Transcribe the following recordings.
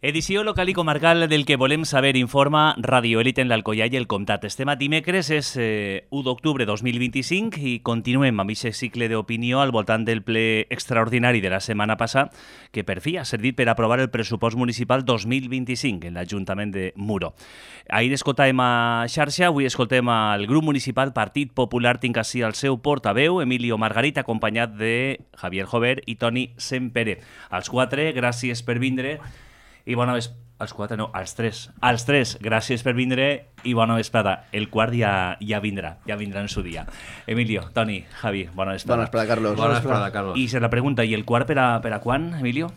Edició local i comarcal del que volem saber informa Radio Elite en l'Alcoià i el Comtat. Estem a dimecres, és 1 d'octubre 2025 i continuem amb aquest cicle d'opinió al voltant del ple extraordinari de la setmana passada que per fi ha servit per aprovar el pressupost municipal 2025 en l'Ajuntament de Muro. Ahir escoltàvem a xarxa, avui escoltem al grup municipal Partit Popular, tinc així el seu portaveu, Emilio Margarit, acompanyat de Javier Jover i Toni Sempere. Als quatre, gràcies per vindre. I bona vesprada. Els quatre no, els tres, gràcies per vindre i bona vesprada. El quart ja vindrà en su dia. Emilio, Toni, Javi, bona vesprada. Bona vesprada, Carlos. Bona vesprada, Carlos. I se la pregunta, i el quart per a quan, Emilio?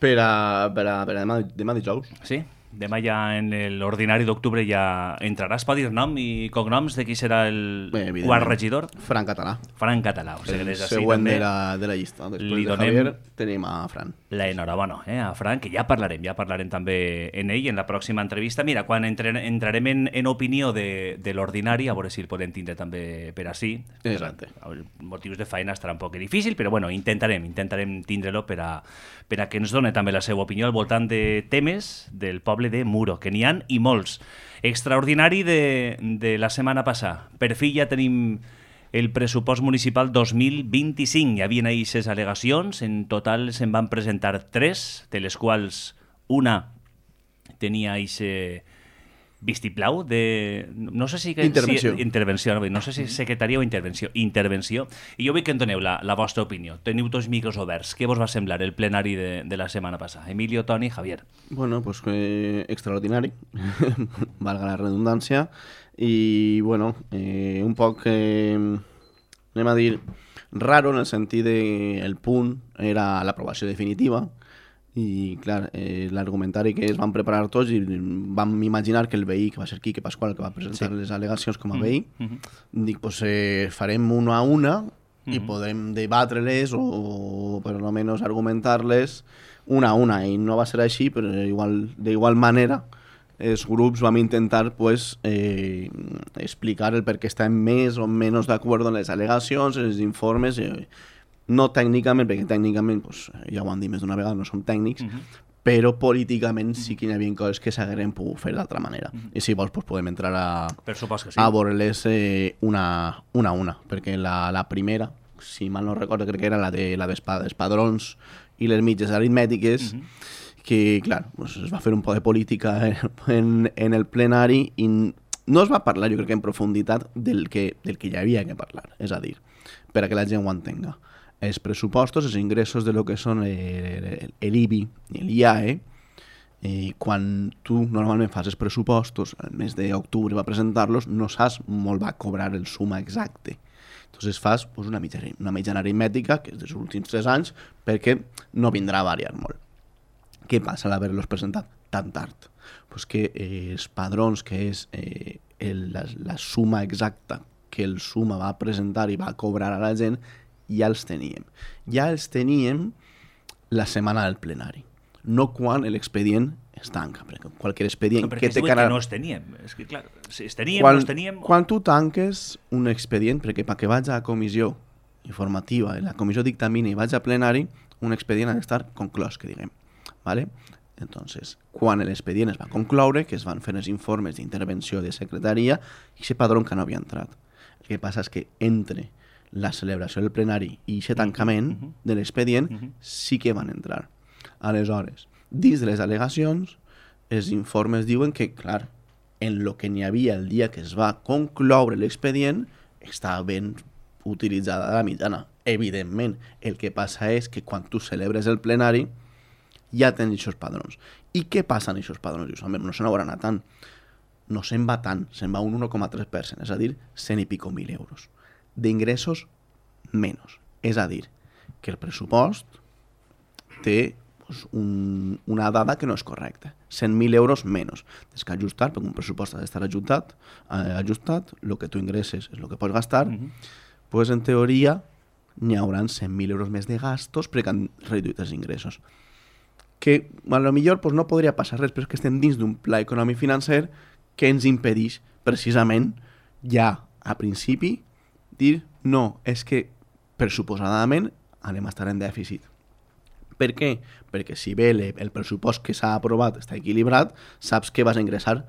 Per a demà dijous. Sí? Demà ja en l'ordinari d'octubre ja entrarà. Es pot dir nom i cognoms de qui serà el quart regidor? Fran Català. Fran Català. O sigui, el següent de la llista. Després de Javier tenim a Fran. L'enhorabona a Fran, que ja parlarem també en ell en la pròxima entrevista. Mira, quan entrarem en opinió de l'ordinari, a veure si el podem tindre també per ací. Exacte. Motius de feina estarà un poc difícil, però bueno, intentarem tindre-lo per a que ens doni també la seva opinió al voltant de temes del poble de Muro, que n'hi ha i molts. Extraordinari de la setmana passada. Per fi ja tenim el pressupost municipal 2025. Hi havia ahir 6 al·legacions, en total se'n van presentar 3, de les quals una tenia aquest vistiplau de... No sé si... Intervenció. No sé si secretaria o intervenció. I jo vull que en doneu la vostra opinió. Teniu tots micros oberts. Què vos va semblar el plenari de la setmana passada? Emilio, Toni, Javier. Bueno, pues extraordinari, valga la redundància, i bueno, un poc, anem a dir, raro en el sentit de el punt era l'aprovació definitiva. I, clar, l'argumentari que es van preparar tots i vam imaginar que el veí, que va ser Quique Pasqual, que va presentar les al·legacions com a veí, dic, pues farem una a una i podem debatre-les o per almenys argumentar-les una a una. I no va ser així, però d'igual manera els grups vam intentar pues, explicar el per què estem més o menys d'acord amb les al·legacions, els informes... No tècnicament, perquè tècnicament, pues, ja ho han dit més d'una vegada, no som tècnics, però políticament sí que hi havia coses que s'hagueren pogut fer d'altra manera. I si vols, pues, podem entrar a veure-les una a una, perquè la primera, si mal no recordo, crec que era la dels padrons i les mitges aritmètiques, que, clar, pues, es va fer un poc de política en el plenari i no es va parlar, jo crec que en profunditat, del que hi havia que parlar. És a dir, per a que la gent ho entenga. Els pressupostos, els ingressos de lo que són l'IBI i l'IAE, quan tu normalment fas els pressupostos, el mes d'octubre va presentar-los, no saps molt va cobrar el suma exacte. Entonces fas pues, una mitjana aritmètica, que és dels últims 3 anys, perquè no vindrà a variar molt. Què passa al haver-los presentat tan tard? Pues que els padrons, que és la suma exacta que el suma va presentar i va cobrar a la gent, ja els teníem. Ja els teníem la setmana del plenari, no quan l'expedient es tanca, perquè qualsevol expedient... No, perquè que no els teníem. És que, clar, si els teníem, no els teníem... Quan tu tanques un expedient, perquè perquè vaig a comissió informativa, la comissió dictamina i vaig a plenari, un expedient ha d'estar conclòs, que diguem. ¿Vale? Entonces, quan l'expedient es va concloure, que es van fer els informes d'intervenció de secretaria, i aquest padró que no havia entrat. El que passa és que entre la celebració del plenari i aquest tancament de l'expedient sí que van entrar. Aleshores, dins de les al·legacions, els informes diuen que, clar, en lo que n'hi havia el dia que es va concloure l'expedient, està ben utilitzada la mitjana. Evidentment, el que passa és que quan tu celebres el plenari ja tens aquests padrons. I què passa en aquests padrons? Dius, no se n'haurà anat tant. No se'n va tant, se'n va un 1,3%, és a dir, 100 i pico mil euros. D'ingressos menys. És a dir, que el pressupost té pues, una dada que no és correcta. 100.000 euros menys. Tens que ajustar, perquè un pressupost ha d'estar ajustat, el que tu ingresses és el que pots gastar, pues, en teoria n'hi haurà 100.000 euros més de gastos perquè han reduït els ingressos. Que a lo millor pues, no podria passar res, però és que estem dins d'un pla econòmic financer que ens impedeix precisament ja a principi dir no, és que pressuposadament anem a estar en dèficit. Per què? Perquè si bé el pressupost que s'ha aprovat està equilibrat, saps que vas a ingressar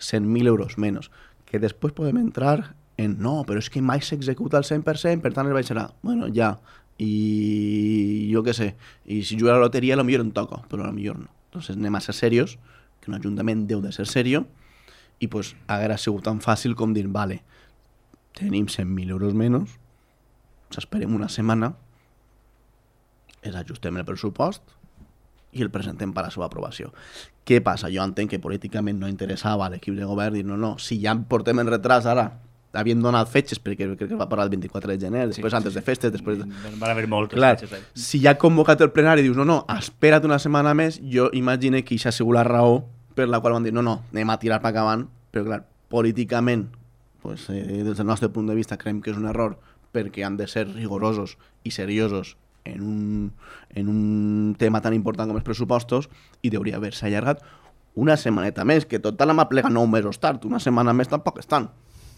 100.000 euros menys. Que després podem entrar en no, però és que mai s'executa al 100%, per tant es baixarà. Bueno, ja. I jo què sé, i si jugo a la loteria potser em toca, però potser no. Entonces anem a ser serios, que un ajuntament deu de ser serio, i pues haguera sigut tan fàcil com dir, vale, tenim 100.000 euros menys, s'esperem una setmana, és ajustem el pressupost i el presentem per a la seva aprovació. Què passa? Jo entenc que políticament no interessava a l'equip de govern dir no, si ja portem en retras ara, havien donat fetges, perquè crec que va parar el 24 de gener, després antes de festes, després... Van haver moltes fetges. Si ja ha convocat el plenari i dius no, espera't una setmana més, jo imagino que això ha sigut la raó per la qual van dir no, anem a tirar per acabant, però clar, políticament, pues, des del nostre punt de vista, creiem que és un error, perquè han de ser rigorosos i seriosos en un tema tan important com els pressupostos i hauria haver-se allargat una setmaneta més, que total hem aplega 9 mesos tard, una setmana més tampoc estan.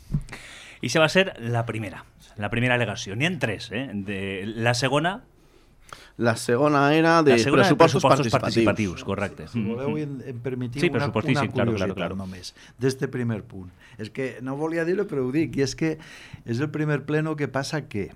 I això va ser la primera al·legació. N'hi ha 3, la segona... La segona era de pressupostos participatius. Correcte. Si voleu, em permetiu una curiositat només d'este primer punt. És que no volia dir-ho, però ho dic, i és que és el primer pleno que passa que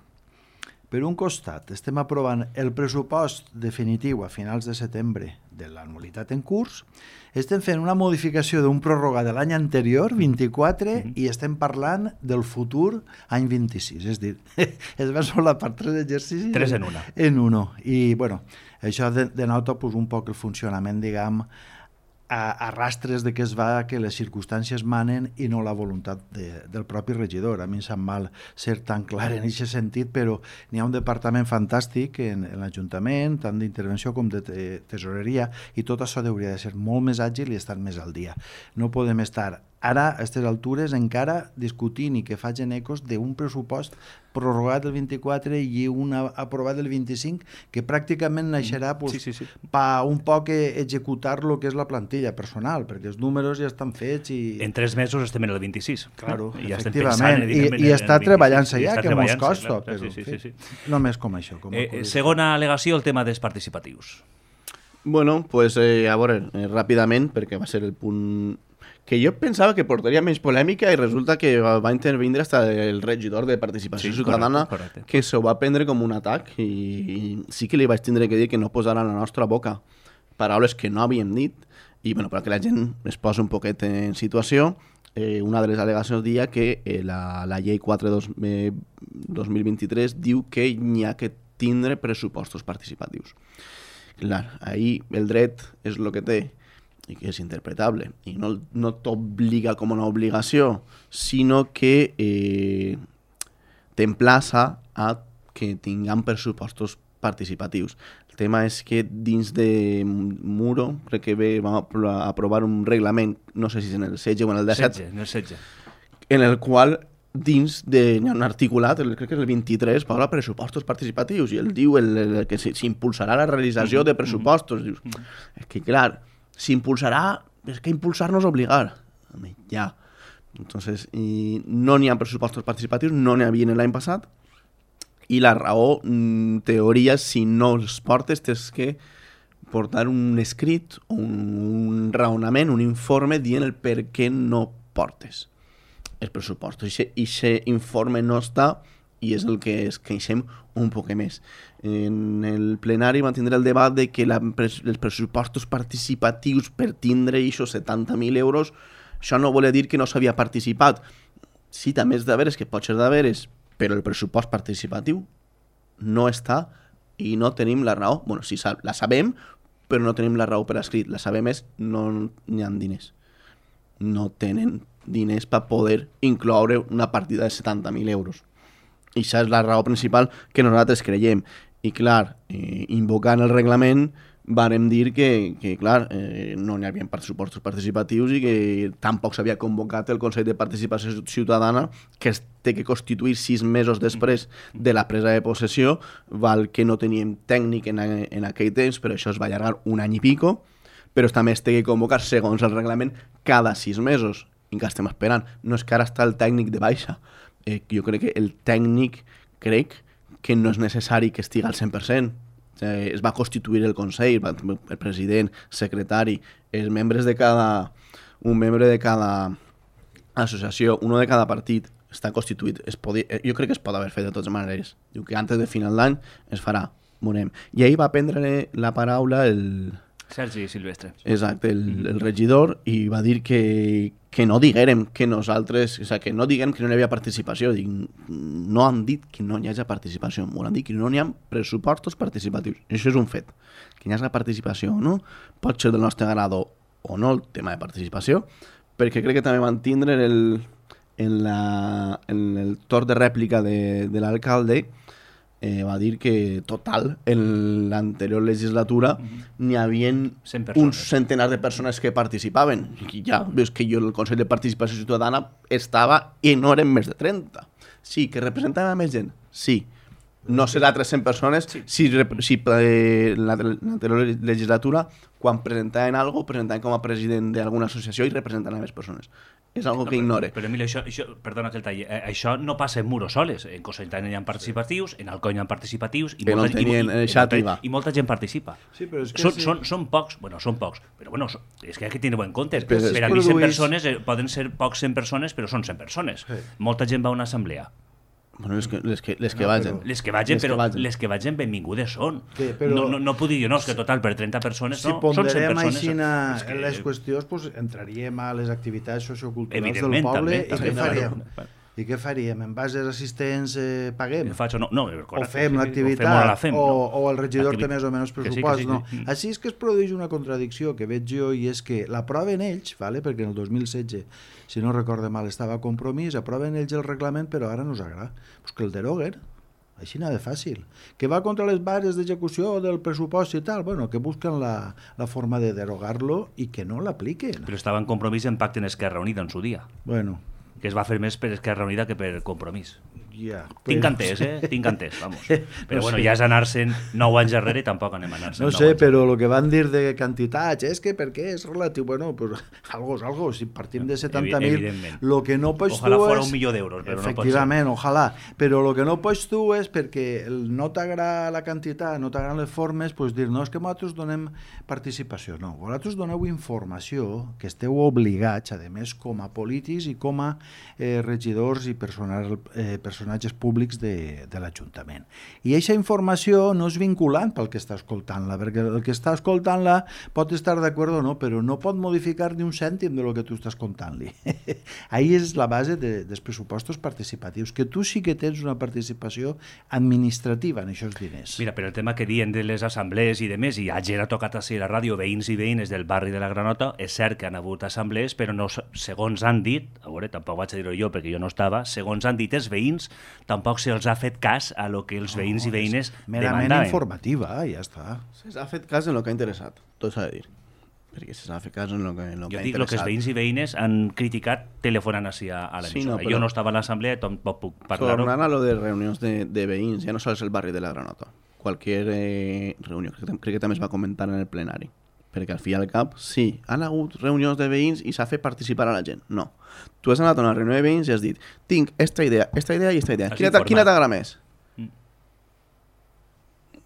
per un costat, estem aprovant el pressupost definitiu a finals de setembre de l'anualitat en curs, estem fent una modificació d'un pròrroga de l'any anterior, 24, i estem parlant del futur any 26. És a dir, es va solapar 3 exercicis... 3 en una. En uno. I, bueno, això denota pues, un poc el funcionament, diguem, a rastres de què es va, que les circumstàncies manen i no la voluntat del propi regidor. A mi em sap mal ser tan clar en aquest sentit, però n'hi ha un departament fantàstic en l'Ajuntament, tant d'intervenció com de tesoreria, i tot això hauria de ser molt més àgil i estar més al dia. No podem estar ara, a aquestes altures, encara discutint i que facin ecos d'un pressupost prorrogat el 24 i un aprovat el 25, que pràcticament naixerà per un poc executar el que és la plantilla personal, perquè els números ja estan fets i... En 3 mesos estem en el 26. Claro, ja efectivament. I està treballant-se ja, que mos costa, però només com això. Segona al·legació, el tema dels participatius. Bueno, pues a veure, ràpidament, perquè va ser el punt que jo pensava que portaria menys polèmica i resulta que va intervindre hasta el regidor de Participació Ciutadana, correcte. Que s'ho va prendre com un atac i sí que li vaig tindre que dir que no posara a la nostra boca paraules que no havíem dit i bueno, perquè la gent es posa un poquet en situació. Una de les al·legacions dia que la llei 4/2023 diu que n'hi ha que tindre pressupostos participatius. Clar, ahir el dret és el que té i que és interpretable i no t'obliga com una obligació, sinó que t'emplaça a que tinguem pressupostos participatius. El tema és que dins de Muro, crec que vam aprovar un reglament, no sé si és en el 16 o en el 17, en el qual dins hi ha un articulat, crec que és el 23, parla pressupostos participatius i ell diu que s'impulsarà la realització de pressupostos. Dius, és que clar, s'impulsarà, és que impulsar-nos obligar. Ja. Entonces, no n'hi ha pressupostos participatius, no n'hi havia l'any passat, i la raó, en teoria, si no els portes, tens que portar un escrit, un raonament, un informe dient el per què no portes els pressupostos. I aquest informe no està i és el que es queixem un poc més. En el plenari van tindre el debat de que els pressupostos participatius per tindre aquests 70.000 euros, això no vol dir que no s'havia participat. Sí, també és de veres, que pot ser de veres, però el pressupost participatiu no està i no tenim la raó. Bueno, sí, la sabem, però no tenim la raó per escrit. La sabem és no n'hi ha diners. No tenen diners per poder incloure una partida de 70.000 euros. I això és la raó principal que nosaltres creiem. I clar, invocant el reglament, vàrem dir que clar, no n'hi havia pressupostos participatius i que tampoc s'havia convocat el Consell de Participació Ciutadana, que es té que constituir 6 mesos després de la presa de possessió, val que no teníem tècnic en aquell temps, però això es va allargar un any i pico, però també es té que convocar, segons el reglament, cada 6 mesos. I que estem esperant. No és que ara està el tècnic de baixa. Jo crec que el tècnic que no és necessari que estigui al 100%. es va constituir el Consell, el president, secretari, els membres de cada... Un membre de cada associació, uno de cada partit, està constituït. Jo crec que es pot haver fet de totes maneres. Diu que antes de final d'any es farà. Veurem. I ahir va prendre la paraula el... Sergi Silvestre. Exacte, el regidor, i va dir que no diguérem que nosaltres... O sigui, que no diguem que no hi havia participació. Dic, no han dit que no hi hagi participació. Han dit que no hi ha pressupostos participatius. Això és un fet. Que hi hagi participació o no, pot ser del nostre agrado o no el tema de participació, perquè crec que també van tindre en el torn de rèplica de l'alcalde, va dir que total, en l'anterior legislatura n'hi havia un centenar de persones que participaven. I ja veus que jo el Consell de Participació Ciutadana estava i no eren més de 30. Sí, que representava més gent, sí. No serà 300 persones si l'anterior legislatura, quan presentaven alguna cosa, presentaven com a president d'alguna associació i representaven més persones. És algo que ignore. Però Emilio, això, perdona que el talli, això no passa en Muros soles. En Cosentany hi ha participatius, en Alcoi hi ha participatius, i molta gent participa. Sí, però és que són pocs, són pocs, però bueno, és que hay que tenir en compte. Per a mi 100 persones poden ser pocs 100 persones, però són 100 persones. Molta gent va a una assemblea. Bueno, les que vagin. Les que vagin benvingudes són. No puc dir jo, no, és que total, per 30 persones no, són 100 persones. Si ponderem les qüestions, pues, entraríem a les activitats socioculturals del poble i què faríem? I què faríem? En bases assistents paguem? O fem l'activitat? O el regidor té més o menys pressupost? No. Així és que es produeix una contradicció que veig jo, i és que l'aproven ells, perquè en el 2016, si no recorde mal, estava a Compromís, aproven ells el reglament, però ara no us agrada. Pues que el deroguen. Així n'ha de fàcil. Que va contra les bases d'execució del pressupost i tal, bueno, que busquen la forma de derogar-lo i que no l'apliquen. Però estava en Compromís en pacte en Esquerra Unida en su dia. Bueno, que es va fer més per Esquerra Unida que per Compromís. Ja, tinc entès, vamos. Però bueno, ja és anar-se'n 9 anys darrere i tampoc anem a anar-se'n 9 anys. No sé, però el que van dir de quantitats és que perquè és relatiu, bueno, pues algo és algo, si partim de 70.000, lo que no pots ojalà tu fora és... 1.000.000 d'euros, però efectivament, no pot ser. Ojalà, però el que no pots tu és perquè no t'agrada la quantitat, no t'agraden les formes, pues dir, no, és que nosaltres donem participació. No, vosaltres doneu informació que esteu obligats, a més, com a polítics i com a regidors i personatges públics de l'Ajuntament. I aquesta informació no és vinculant pel que està escoltant-la, perquè el que està escoltant-la pot estar d'acord o no, però no pot modificar ni un cèntim de lo que tu estàs contant-li. Ahí és la base dels pressupostos participatius, que tu sí que tens una participació administrativa en aquests diners. Mira, però el tema que diuen de les assemblees i de més, i ayer ha tocat a la ràdio veïns i veïnes del barri de la Granota, és cert que han hagut assemblees, però no, segons han dit, a veure, tampoc vaig a dir-ho jo perquè jo no estava, segons han dit els veïns, tampoc se'ls ha fet cas a lo que els veïns i veïnes merament demandaven. Informativa, ja està. S'ha fet cas en el que ha interessat, tot s'ha de dir. Perquè s'ha fet cas en el que ha interessat. Jo dic el que els veïns i veïnes han criticat telefonant així a l'emissora. Sí, no, però... Jo no estava a l'assemblea, tampoc puc parlar-ho. Tornant a lo de reunions de veïns, ja no sols el barri de la Granota. Qualsevol reunió, crec que també es va comentar en el plenari. Perquè al fi i al cap, sí, han hagut reunions de veïns i s'ha fet participar a la gent. No. Tu has anat a una reunió de veïns i has dit, tinc esta idea i esta idea. Quina t'agrada més?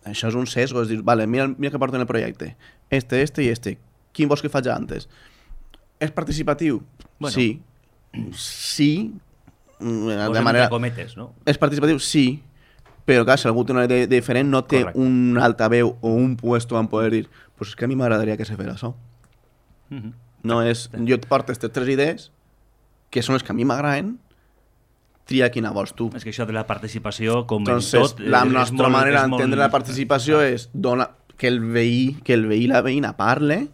Això és un sesgo, és dir, vale, mira que porten el projecte. Este i este. Quin vols que faig antes? És participatiu? Bueno. Sí. Sí. De manera... cometes, no? És participatiu? Sí. Però, clar, si algú té una idea diferent, no té un altaveu o un puesto en poder dir, pues és que a mi m'agradaria que se fes això. No és... Jo et porto aquestes 3 idees, que són les que a mi m'agraden, tria quina vols tu. És que això de la participació, com entonces, tot... La nostra manera d'entendre la participació és que el veí i la veïna parle,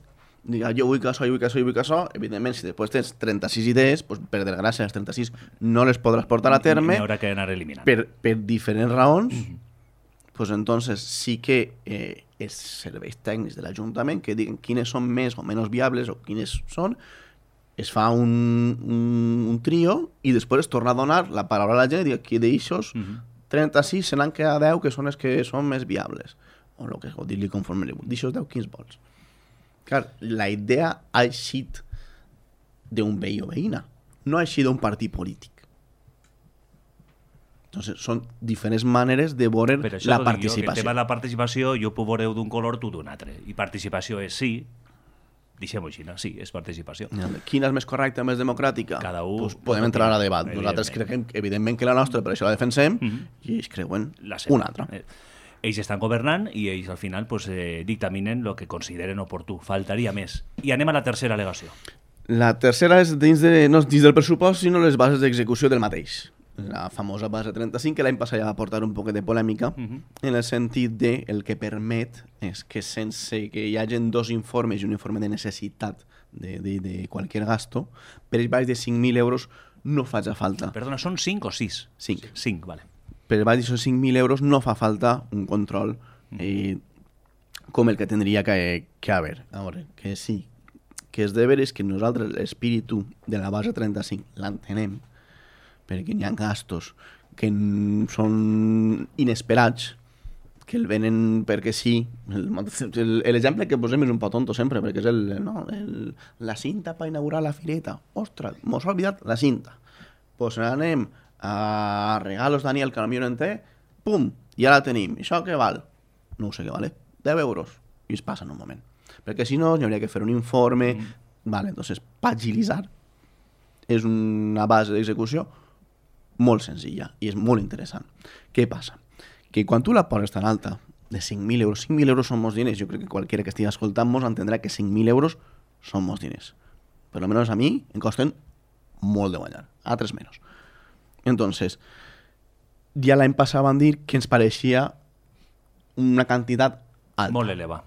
diga, jo vull que això, evidentment, si després tens 36 idees, pues, per desgràcia, les 36 no les podràs portar a terme, n'hi haurà que anar eliminant. Per diferents raons, pues, entonces sí que els serveis tècnics de l'Ajuntament que diguen quines són més o menys viables o quines són, es fa un trio i després es torna a donar la paraula a la gent i dir que d'aixos 36 se n'han quedat 10 que són els que són més viables o dir-li conforme li vull. D'aixos 10 quins vols? Clar, la idea ha eixit d'un veí o veïna, no ha eixit d'un partit polític. Entonces, són diferents maneres de veure la participació. El tema de la participació jo puc veure d'un color, tu d'un altre. I participació és sí, deixem-ho així, no? Sí, és participació. Quina és més correcta, més democràtica? Cada un... Pues podem entrar a debat. Nosaltres creiem, evidentment, que la nostra, per això la defensem, i ells creuen una altra. Ells estan governant i ells al final pues, dictaminen el que consideren oportú. Faltaria més. I anem a la tercera al·legació. La tercera és no dins del pressupost, sinó les bases d'execució del mateix. La famosa base 35, que l'any passat ja va portar un poquet de polèmica, en el sentit de el que permet és que sense que hi hagin dos informes i un informe de necessitat de qualsevol gasto, per baix de 5.000 euros no faci falta. Perdona, són 5 o 6? 5. 5, vale. Per baix de 5.000 euros no fa falta un control com el que tindria que haver. A veure, que sí, que és de veres que nosaltres l'espíritu de la base 35 l'entenem, perquè hi ha gastos que són inesperats, que el venen perquè sí. L'exemple que posem és un poc tonto sempre, perquè és la cinta per inaugurar la fireta. Ostres, mos ha oblidat la cinta. Pues anem a regalos Daniel, que potser no en té, pum, ja la tenim. I això què val? No ho sé què vale. 10 euros. I es passa en un moment. Perquè si no, hi hauria que fer un informe. Vale, entonces, per agilitzar, és una base d'execució molt senzilla i és molt interessant. Què passa? Que quan tu la poses tan alta, de 5.000 euros, 5.000 euros són molts diners, jo crec que qualsevol que estigui escoltant-nos entendrà que 5.000 euros són molts diners. Per almenys a mi em costen molt de guanyar, altres menys. Entonces, ja l'any passat van dir que ens pareixia una quantitat alta. Molt eleva.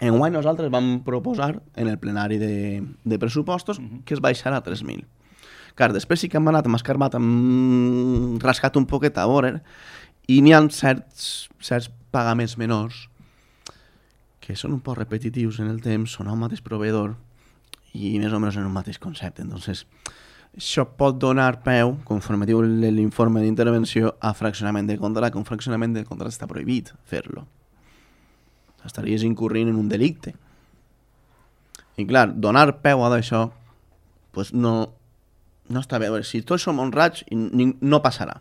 Enguany nosaltres vam proposar en el plenari de pressupostos que es baixarà a 3.000. Clar, després sí que hem anat, hem escarbat, hem rascat un poquet a veure, i n'hi ha certs pagaments menors que són un poc repetitius en el temps, són el mateix proveïdor i més o menys en un mateix concepte. Entonces, això pot donar peu, conforme diu l'informe d'intervenció, a fraccionament de contracte, que un fraccionament de contracte està prohibit fer-lo. Estaries incorrint en un delicte. I clar, donar peu a d'això pues no està bé. Si tots som honrats, no passarà.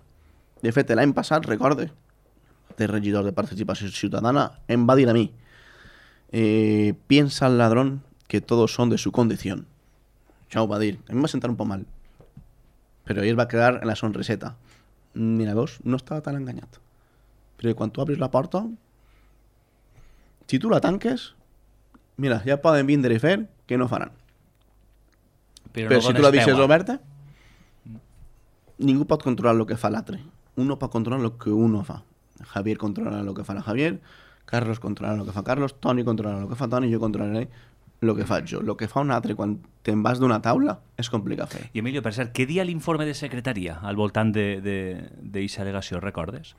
De fet, l'any passat, recorde, el regidor de Participació Ciutadana em va dir a mi, piensa el ladrón que todos son de su condición. Això ho va dir. A mi em va sentar un poc mal. Però ell va quedar en la sonriseta. Mira, veus, no estava tan enganyat. Perquè quan tu obres la porta, si tu la tanques, mira, ja poden vindre i fer que no faran. Però si tu la deixes oberta, ningú pot controlar el que fa l'altre. Uno pot controlar el que uno fa. Javier controla el que fa la Javier, Carlos controla el que fa Carlos, Toni controla el que fa Toni, jo controlaré el que faig jo. El que fa un altre quan te'n vas d'una taula és complicat fer. I Emilio, per cert, què dia l'informe de secretaria al voltant d'aquesta al·legació, recordes?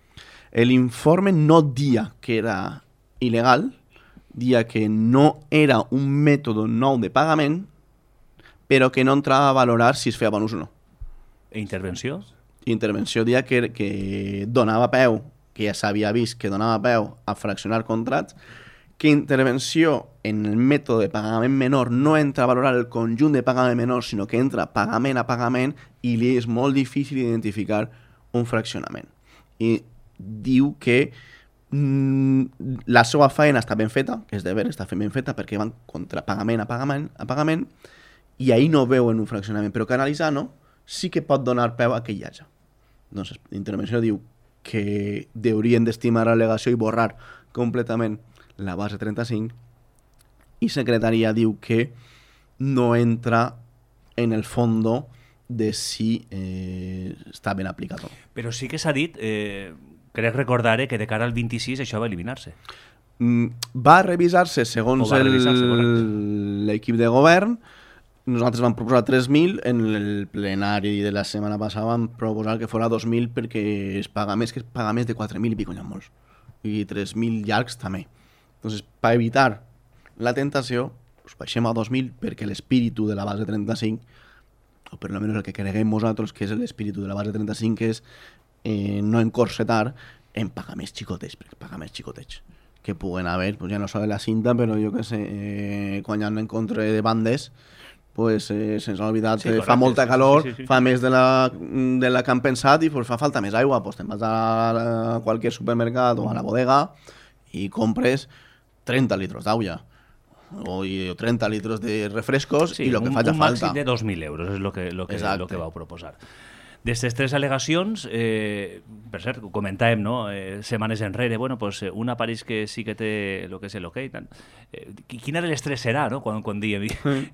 L'informe no dia que era il·legal, dia que no era un mètode nou de pagament, però que no entrava a valorar si es feia bon ús o no. Intervenció? Intervenció dia que donava peu, que ja s'havia vist que donava peu a fraccionar contrats, que intervenció en el mètode de pagament menor no entra a valorar el conjunt de pagament menor, sinó que entra pagament a pagament i li és molt difícil identificar un fraccionament. I diu que la seva feina està ben feta, que és de veure, està ben feta perquè van contra pagament a pagament, i ahir no veuen un fraccionament, però que analitzant-ho sí que pot donar peu a que hi hagi. Doncs l'intervenció diu que haurien d'estimar l'al·legació i borrar completament la base 35 i secretaria diu que no entra en el fondo de si està ben aplicat o no. Però sí que s'ha dit, crec recordar que de cara al 26 això va eliminar-se. Va revisar-se segons l'equip de govern. Nosaltres vam proposar 3.000, en el plenari de la setmana passada vam proposar que fos 2.000 perquè es paga més de 4.000 i pico, n'hi ha molts. I 3.000 llargs també. Entonces, per evitar la tentació, pues baixem a 2.000 perquè l'espíritu de la base 35, o per almenys el que creguem nosaltres que és l'espíritu de la base 35, és no encorsetar en pagaments xicotets, perquè pagaments xicotets que puguen haver, pues ja no sols la cinta, però jo que sé, quan hi ha un encontre de bandes, pues se'ns ha oblidat, Sí, fa molta calor, sí. fa més de la que han pensat i pues, fa falta més aigua. Pues te'n vas a qualsevol supermercat o a la bodega i compres 30 litros d'aigua o 30 litros de refrescos i el que faci falta. Un màxim de 2.000 euros és el que vau proposar. D'aquestes 3 al·legacions, per cert, comentàvem, no? Setmanes enrere, bueno, pues, una pareix que sí que té el que és l'hoquei. Quina de les 3 serà, no? Quan diem,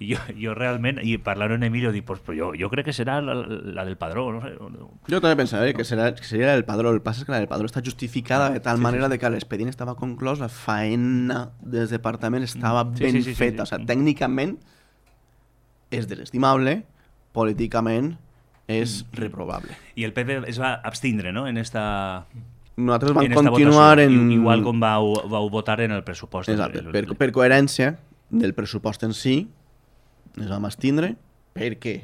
jo realment, i parlant amb Emilio, dic, pues, jo crec que serà la del Padró. No sé. Jo també pensava que seria el Padró. El que passa és que la del Padró està justificada de tal manera de que l'expedient estava conclòs, la faena del departament estava ben feta. O sigui, tècnicament és desestimable, políticament és reprobable. I el PP es va abstindre, no?, en esta... Nosaltres vam continuar en... Igual com vau votar en el pressupost. Exacte, per coherència del pressupost en si, ens vam abstindre, perquè,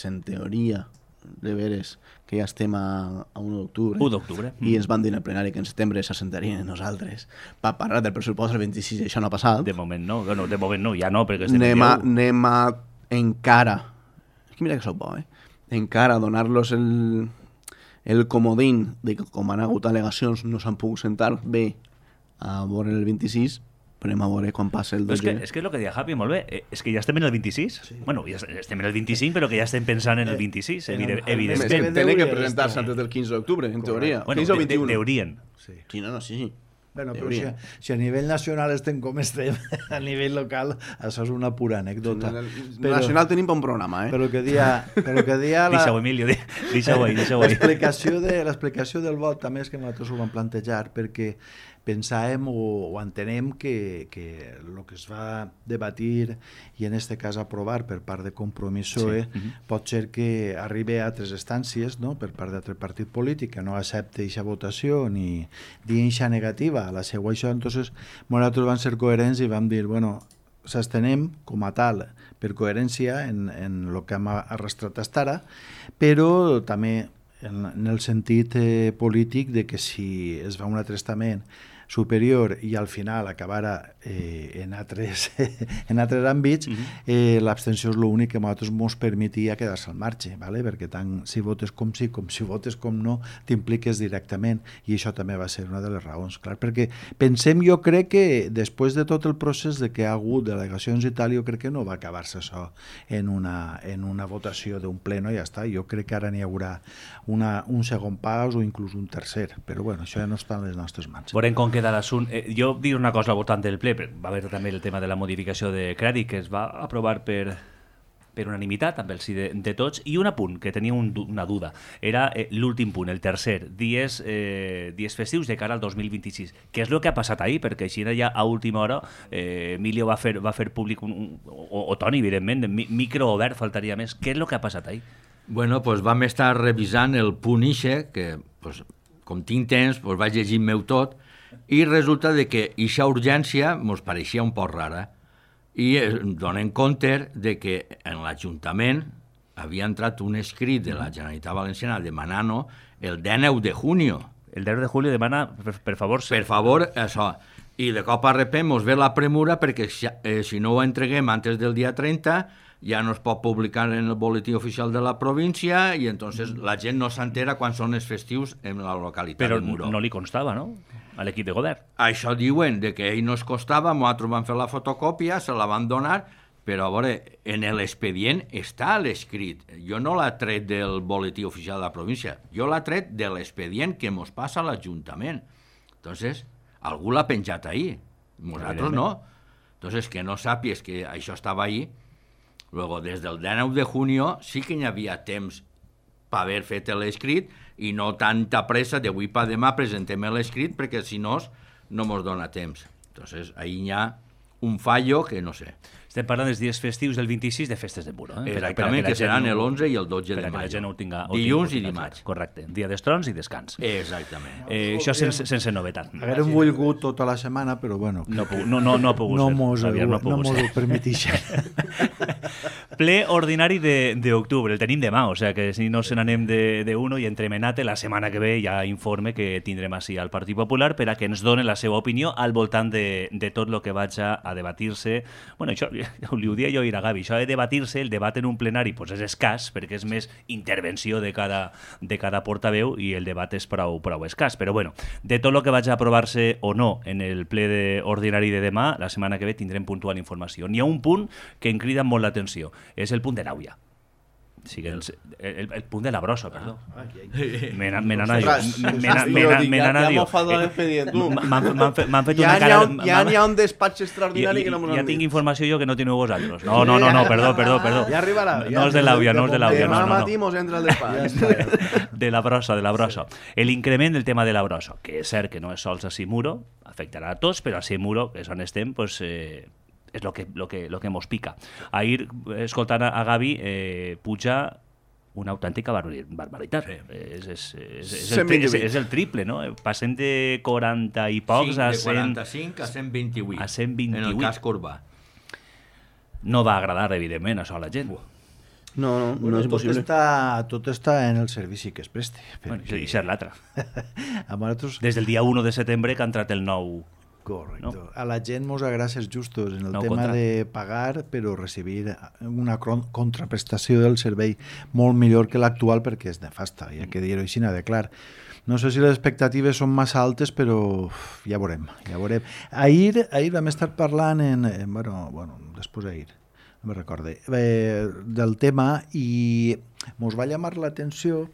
en teoria, de veres, que ja estem a 1 d'octubre. 1 d'octubre. I ens van dir en el plenari que en setembre s'assentarien nosaltres per parlar del pressupost el 26, això no ha passat. De moment no, bueno, de moment no, ja no, perquè estem anem a encara... És que mira que soc bo, encara donar-los el comodín de que com han hagut al·legacions no s'han pogut sentar bé a veure el 26, però anem a veure quan passa el 12. És que és el que deia Javi, molt bé, és que ja estem en el 26. Sí. Bueno, ja estem en el 25, però que ja estem pensant en el 26, evidentment. Tenen que presentar-se antes del 15 d'octubre, en teoria. Bueno, 15 o 21. Deurien. Sí, sí. Bueno, però si a nivell nacional estem com estem, a nivell local, això és una pura anècdota. Nacional tenim un programa, Però que dia Deixa-ho, Emilio, deixa-ho. L'explicació del vot també és que nosaltres ho vam plantejar perquè pensàvem o entenem que el que es va debatir i en aquest cas aprovar per part de Compromís PSOE pot ser que arribi a altres instàncies, no?, per part d'altre partit polític que no accepti aquesta votació ni aquesta negativa a la seva això. Entonces nosaltres vam ser coherents i vam dir, bueno, s'estenem com a tal per coherència en el que hem arrastrat fins ara, però també en el sentit polític de que si es va un altre estament superior i al final acabara en altres àmbits, l'abstenció és l'únic que a nosaltres ens permetia quedar-se al marge, ¿vale? Perquè tant si votes com sí, com si votes com no, t'impliques directament, i això també va ser una de les raons, clar, perquè pensem, jo crec que després de tot el procés de que ha hagut delegacions i tal, jo crec que no va acabar-se això en una votació d'un pleno i ja està. Jo crec que ara n'hi haurà un segon pas o inclús un tercer, però bueno, això ja no està en les nostres mans. Veurem com queda l'assumpte. Jo dir una cosa al voltant del ple, va haver també el tema de la modificació de crèdit que es va aprovar per unanimitat, amb el sí de tots, i un apunt que tenia una duda, era l'últim punt, el tercer, dies festius de cara al 2026. Què és el que ha passat ahir? Perquè així ja a última hora Emilio va fer públic, o Toni, evidentment, micro obert, faltaria més. Què és el que ha passat ahir? Bueno, doncs vam estar revisant el punt ixe, que com tinc temps, vaig llegint-me-ho tot, i resulta de que aquesta urgència ens pareixia un poc rara i donem compte de que en l'Ajuntament havia entrat un escrit de la Generalitat Valenciana demanant el 19 de junio. El 10 de julio demana, per favor... Per favor, això. I de cop a repent ens ve la premura perquè si no ho entreguem antes del dia 30 ja no es pot publicar en el boletí oficial de la província i entonces la gent no s'entera quan són els festius en la localitat de Muro. Però no li constava, no?, a l'equip de govern. Això diuen, de que ell no es costava, nosaltres vam fer la fotocòpia, se la van donar, però a veure, en l'expedient està l'escrit. Jo no l'he tret del boletí oficial de la província, jo l'he tret de l'expedient que mos passa a l'Ajuntament. Entonces, algú l'ha penjat ahir, nosaltres no. Entonces, que no sàpies que això estava ahí. Luego, des del 19 de junio sí que hi havia temps per haver fet l'escrit i no tanta pressa d'avui per demà presentem l'escrit perquè si no mos dona temps. Entonces, ahí hi ha un fallo que no sé. Estem parlant dels dies festius del 26 de festes de Muro. Exactament, que seran l'11 i el 12 de maig. Dilluns i dimarts. Correcte, dia d'estrons i descans. Exactament. Això sense novetat. Haguérem volgut tota la setmana, però bueno... No ha pogut ser. No mos ho permetixen. Ple ordinari d'octubre, el tenim demà, o sigui que si no se n'anem d'uno i entremenat, la setmana que ve ja informe que tindrem així al Partit Popular per a que ens doni la seva opinió al voltant de tot el que vaig a debatir-se. Bueno, això li ho dia jo a Gavi, això de debatir-se, el debat en un plenari pues és escàs, perquè és més intervenció de cada portaveu i el debat és prou escàs. Però bueno, de tot el que vaig a aprovar-se o no en el ple ordinari de demà, la setmana que ve tindrem puntual informació. N'hi ha un punt que em crida molt l'atenció, és el punt de l'Àuia. O sigui, el punt de la brossa, perdó. Me n'anava jo. M'han fet una cara... Ja n'hi ha un despatx extraordinari que no m'ho han dit. Ja tinc informació jo que no teniu vosaltres. No, perdó. Ja arribarà. No és de l'Àuia, no és de l'Àuia. Demà matí mos entra el despatx. De la brossa. L'increment del tema de la brossa, que és cert que no és sols a Simuro, afectarà a tots, però a Simuro, que és on estem, pues, és lo que mos pica. Ahir, escoltant a Gavi, puja una autèntica barbaritat. És el triple, no? Passem de 40 i pocs a 100... De 45 a 128. A 128. En el cas Corbà. No va agradar, evidentment, això a la gent. No és possible. Tot està en el servici que es presti. Bueno, i això és l'altre. Des del dia 1 de setembre que ha entrat el nou... Correcte. No? A la gent mos agrada ser justos en el no, tema de pagar, però recibir una contraprestació del servei molt millor que l'actual, perquè és nefasta, hi ha que dir-ho així de clar. No sé si les expectatives són massa altes, però ja veurem. Ahir vam estar parlant després d'ahir, no me'n recorde, del tema, i mos va llamar l'atenció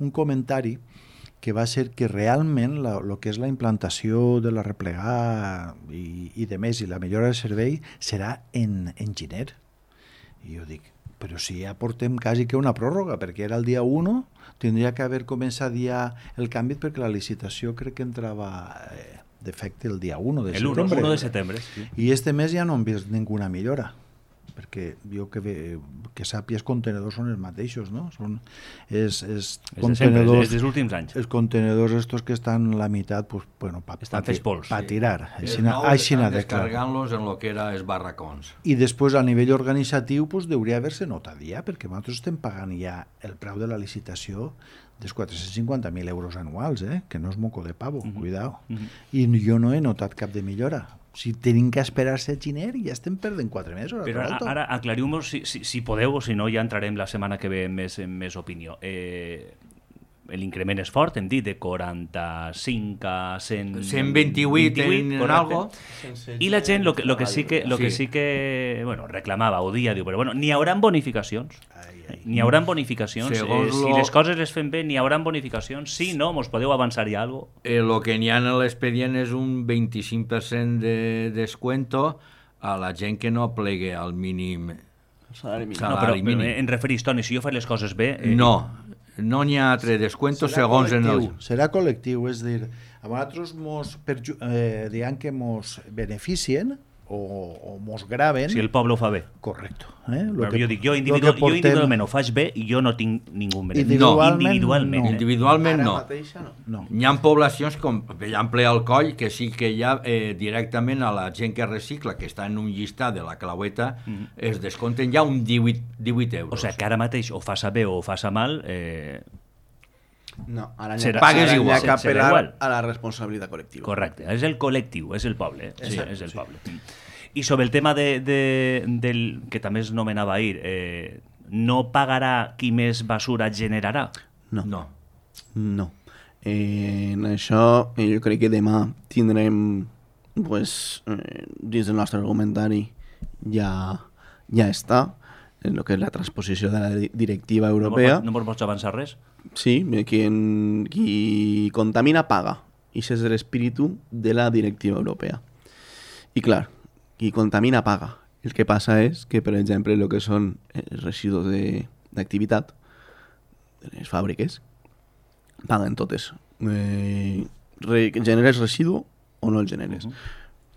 un comentari que va ser que realment el que és la implantació de la replegar i de més, i la millora del servei, serà en Giner. I jo dic, però si ja portem quasi que una pròrroga, perquè era el dia 1, tindria que haver començat ja el canvi, perquè la licitació crec que entrava d'efecte el dia 1 de setembre. El 1 de setembre, sí. I este mes ja no hem vist ninguna millora, perquè jo que sàpies, contenedors són els mateixos, no? És contenedors... És dels últims anys. Els contenedors estos que estan la meitat, pues, bueno, estan fets pols. Pa tirar. Estan descarregant-los en el que era els barracons. I després, a nivell organitzatiu, pues, hauria d'haver-se notat ja, perquè nosaltres estem pagant ja el preu de la licitació dels 450.000 euros anuals, que no és moco de pavo, cuidao. I jo no he notat cap de millora. Si tenim que esperar-se a Giner, ja estem perdent 4 mesos. Però ara aclariu-nos, si podeu, o si no ja entrarem la setmana que ve en més opinió. L'increment és fort, hem dit, de 45 a 128 en algo. I la gent, lo que sí que reclamava o dia, diu, però bueno, n'hi haurà bonificacions. N'hi haurà bonificacions. Si les coses les fem bé, n'hi haurà bonificacions. Si no, mos podeu avançar ja alguna cosa. Lo que n'hi ha en l'expedient és un 25% de descuento a la gent que no plegue al mínim salari mínim. Però em referís, Toni, si jo faig les coses bé... No n'hi ha altre descuento segons en el... Serà col·lectiu, és dir, a nosaltres diguem que mos beneficien o mos graven... Si el poble ho fa bé. Correcte. Jo individualment ho faig bé i jo no tinc ningú benefici. Individualment no. Hi ha poblacions com l'Ample al Coll, que sí que hi ha directament a la gent que recicla, que està en un llistat de la claueta, es descompten ja un 18 euros. O sigui que ara mateix o faça bé o faça mal... No, ara pagues igual. N'hi ha que apel·lar a la responsabilitat col·lectiva. Correcte, és el col·lectiu, és el poble. Sí, és el poble. I sobre el tema del que també es nomenava ahir, no pagarà qui més basura generarà? No. En això jo crec que demà tindrem dins del nostre argumentari ja està en el que és la transposició de la directiva europea. No pots avançar res? Sí, qui contamina paga. I ese és l'espíritu de la directiva europea. I clar, qui contamina paga. El que passa és que, per exemple, el que són els residus d'activitat de les fàbriques paguen totes. Generes residu o no el generes.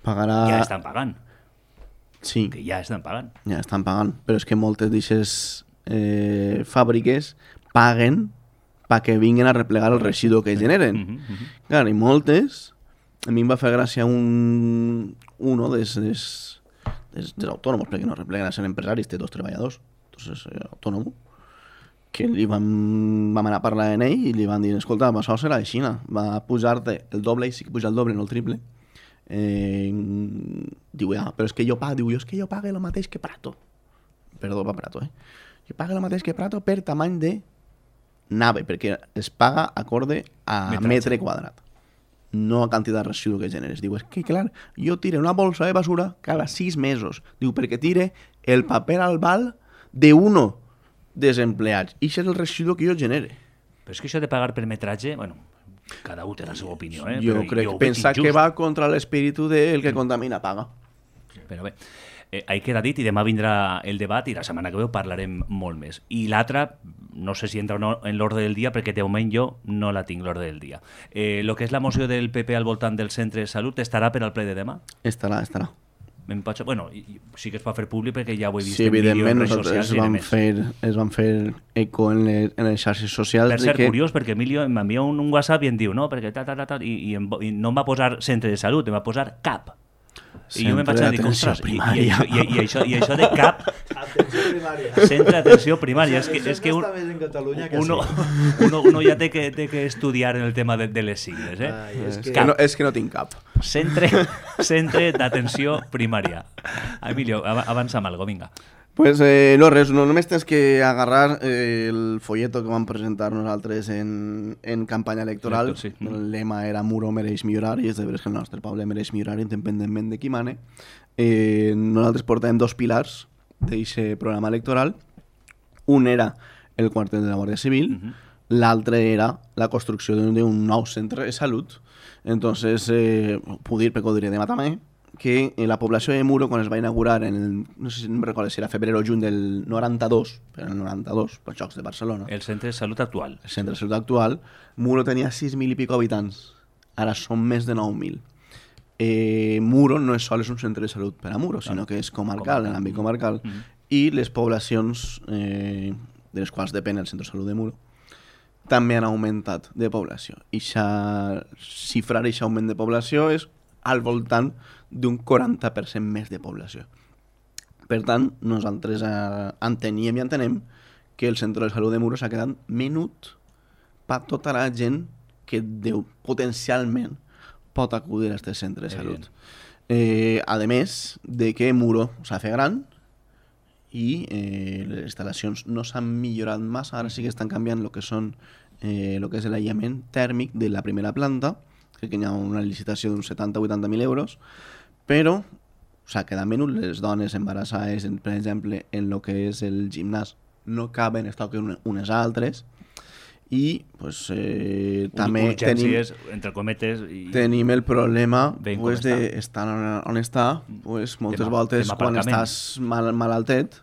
Pagarà... Ja estan pagant. Sí. Que ja estan pagant. Ja estan pagant, però és que moltes d'aquestes fàbriques paguen perquè vinguin a replegar el residu que generen. Clar, i moltes... A mi em va fer gràcia uno dels autònoms, perquè no repleguen a ser empresaris, té 2 treballadors, és autònom, que vam anar a parlar amb ell i li van dir, escolta, això serà així, va pujar-te el doble, i sí que puja el doble, no el triple. Diu, però és que jo pago, és que jo pague el mateix que Prato. Perdó, va Prato, Jo pague el mateix que Prato per tamany de nave, perquè es paga acorde a metre quadrat, no a quantitat de residu que generes. Diu, és que clar, jo tire una bolsa de basura cada 6 mesos. Diu, perquè tire el paper al bal d'1 desempleats. I això és el residu que jo genere. Però és que això de pagar per metratge, bueno, cada un té la seva opinió, Jo crec que pensa que va contra l'espíritu del que contamina paga. Però bé, ahí queda dit, i demà vindrà el debat i la setmana que ve parlarem molt més. I l'altra, no sé si entra o no en l'ordre del dia, perquè de moment jo no la tinc l'ordre del dia. Lo que és la moció del PP al voltant del centre de salut estarà per al ple de demà? Estarà. Bueno, sí que es va fer públic perquè ja ho he vist sí, en vídeo, en evidentment, redes socials es van fer eco en les xarxes socials. Per ser curiós, perquè Emilio m'envia un WhatsApp i em diu, no, perquè i no em va posar centre de salut, em va posar CAP. I jo me'n vaig anar a dir, ostres, i això de CAP, centre d'atenció primària, és que uno ja té que estudiar en el tema de les sigles. És que no tinc cap. Centre d'atenció primària. Emilio, avança amb algo, vinga. Pues no res, només tens que agarrar el folleto que vam presentar nosaltres en campanya electoral. Sí. El lema era Muro mereix millorar, i és de veres que el nostre poble mereix millorar independentment de qui mane. Nosaltres portàvem 2 pilars d'aquest programa electoral. Un era el quartel de la Guàrdia Civil, l'altre era la construcció d'un nou centre de salut. Entonces, puc dir, perquè ho diré demà també, que la població de Muro, quan es va inaugurar no sé si em recordo si era febrer o juny del 92, però el 92, pels Jocs de Barcelona. El centre de salut actual. El centre de salut actual. Muro tenia 6.000 i pico habitants. Ara són més de 9.000. Muro no és sols un centre de salut per a Muro, sinó que és comarcal, en l'àmbit comarcal. I les poblacions de les quals depèn el centre de salut de Muro també han augmentat de població. I xifrar aquest augment de població és al voltant d'un 40% més de població. Per tant, nosaltres enteníem i entenem que el centre de salut de Muro s'ha quedat menut per tota la gent que potencialment pot acudir a aquest centre de salut. A més de que Muro s'ha fet gran i les instal·lacions no s'han millorat massa, ara sí que estan canviant el que és l'aïllament tèrmic de la primera planta, crec que hi ha una licitació d'uns 70-80.000 euros, però s'ha quedat menut. Les dones embarassades, per exemple, en el que és el gimnàs, no caben, es toquen unes altres, i pues, també urgències, entre cometes, tenim el problema d'estar on està, pues, moltes voltes quan estàs malaltet,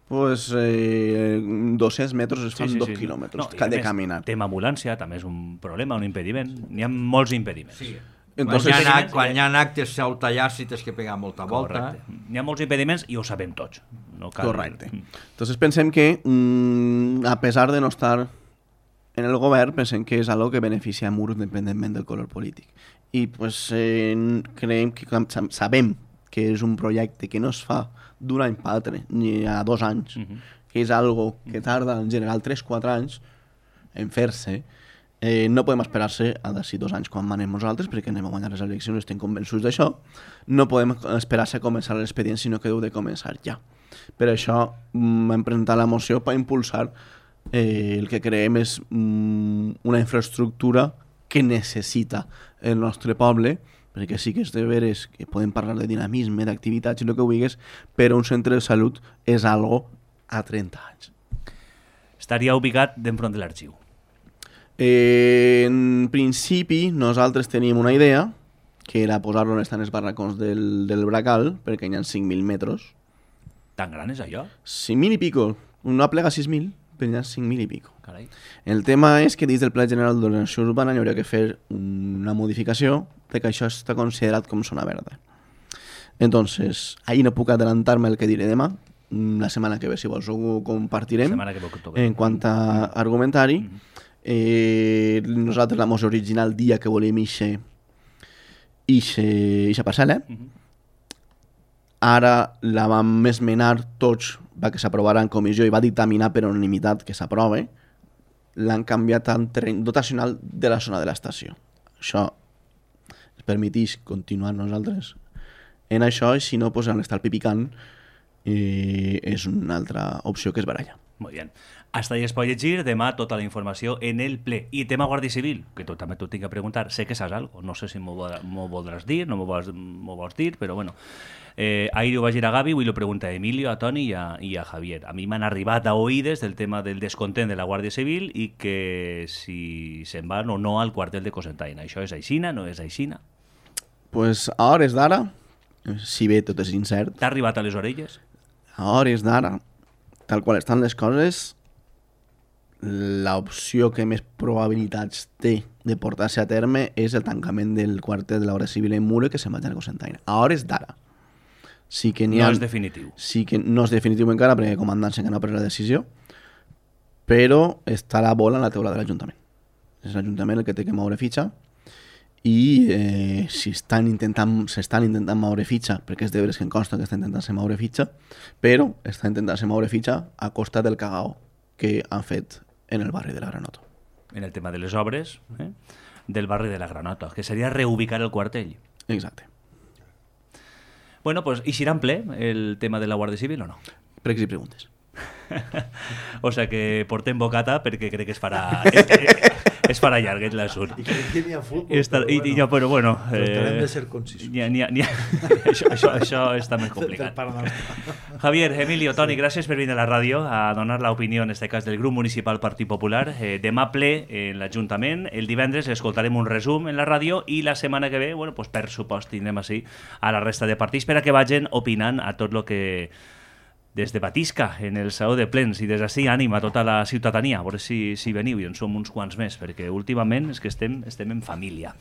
pues 200 metres es fan 2 quilòmetres que ha de caminar. Tema ambulància també és un problema, un impediment. N'hi ha molts impediments. Sí. Quan hi ha actes sau tallar-se tens que pegar molta volta. N'hi ha molts impediments i ho sabem tots. Correcte. Entonces pensem que, a pesar de no estar en el govern, pensem que és algo que beneficia a Muro independentment del color polític. I pues, creiem que sabem que és un projecte que no es fa d'un any per altre, ni a 2 anys, que és algo que tarda en general 3-4 anys en fer-se. No podem esperar-se a d'ací 2 anys quan manem nosaltres, perquè anem a guanyar les eleccions, estem convençuts d'això. No podem esperar-se a començar l'expedient, sinó que heu de començar ja. Per això hem presentat la moció per impulsar el que creiem és una infraestructura que necessita el nostre poble, perquè sí que és de veres que podem parlar de dinamisme, d'activitats i el que vulguis, però un centre de salut és algo a 30 anys. Estaria ubicat d'enfront de l'arxiu? En principi, nosaltres teníem una idea, que era posar-lo on estan els barracons del Bracal, perquè hi ha 5.000 metres. Tan gran és allò? 5.000 i pico. No aplega 6.000, però hi ha 5.000 i pico. Carai. El tema és que dins del Pla General d'Ordenació Urbana hi hauria que fer una modificació de que això està considerat com zona verda. Entonces, ahí no puc adelantar-me el que diré demà. La setmana que ve, si vols, ho compartirem en quant a argumentari. Nosaltres la moció original dia que volíem ixa parcel·la. Ara la vam esmenar tots va que s'aprovarà en comissió i va dictaminar per unanimitat que s'aprove, l'han canviat en terreny dotacional de la zona de l'estació. Això ens permeteix continuar nosaltres en això, i si no, pues, en l'estar pipicant és una altra opció que es baralla. Muy bien. Hasta ahí es pot llegir. Demà tota la informació en el ple. I tema Guàrdia Civil, que tu també t'ho tinc que preguntar. Sé que saps algo. No sé si m'ho voldràs dir, no m'ho vols dir, però bueno. Ahir ho vaig dir a Gavi, avui lo pregunta a Emilio, a Toni i a Javier. A mi m'han arribat a oïdes del tema del descontent de la Guàrdia Civil i que si se'n van o no al quartel de Cocentaina. Això és aixina, no és aixina? Pues a hores d'ara, si bé tot és incert, T'ha arribat a les orelles? a hores d'ara, tal qual estan les coses, l'opció que més probabilitats té de portar-se a terme és el tancament del quartel de la Guàrdia Civil en Muro, que se'n vagi a Cocentaina. A hores d'ara. Sí que No és definitiu. Sí que no és definitiu encara, perquè el comandant que no ha pres la decisió, però està la bola en la taula de l'Ajuntament. És l'Ajuntament el que té que moure fitxa, i si s'estan intentant moure fitxa, perquè és de veres que em consta que està intentant-se moure fitxa, però està intentant-se moure fitxa a costa del cagao que han fet en el barri de la Granota. En el tema de les obres del barri de la Granota, que seria reubicar el quartell. Exacte. Bueno, pues, i serà en ple el tema de la Guàrdia Civil o no? Pregs i preguntes. O sea que portem bocata perquè crec que es farà llarguet l'assurt. I crec que n'hi ha futbol, Però bueno, tractarem de ser concisos. això està més complicat. Javier, Emilio, Toni, gràcies per venir a la ràdio a donar l'opinió, en este cas, del grup municipal Partit Popular. Demà ple en l'Ajuntament, el divendres escoltarem un resum en la ràdio i la setmana que ve, bueno, pues, per supost, tindrem així a la resta de partits per a que vagin opinant a tot el que des de Batisca, en el Saló de Plens, i des d'ací ànima a tota la ciutadania, a veure si veniu, i en som uns quants més, perquè últimament és que estem en família.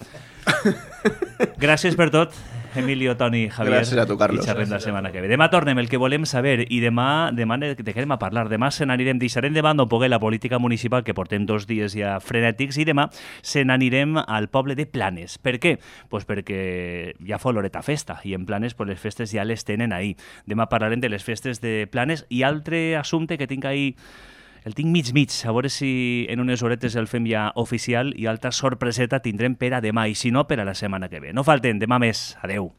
Gràcies per tot, Emilio, Toni, Javier. Gràcies a tu, Carlos. I xerrem la setmana que ve. Demà tornem el que volem saber, i demà de què anem a parlar. Demà deixarem de banda un poc la política municipal, que portem 2 dies ja frenètics, i demà se n'anirem al poble de Planes. Per què? Pues perquè ja fa l'horeta festa, i en Planes pues, les festes ja les tenen ahí. Demà parlarem de les festes de Planes, i altre assumpte que tinc ahí, el tinc mig, a veure si en unes horetes el fem ja oficial, i altra sorpreseta tindrem per a demà, i si no, per a la setmana que ve. No falten, demà més. Adeu.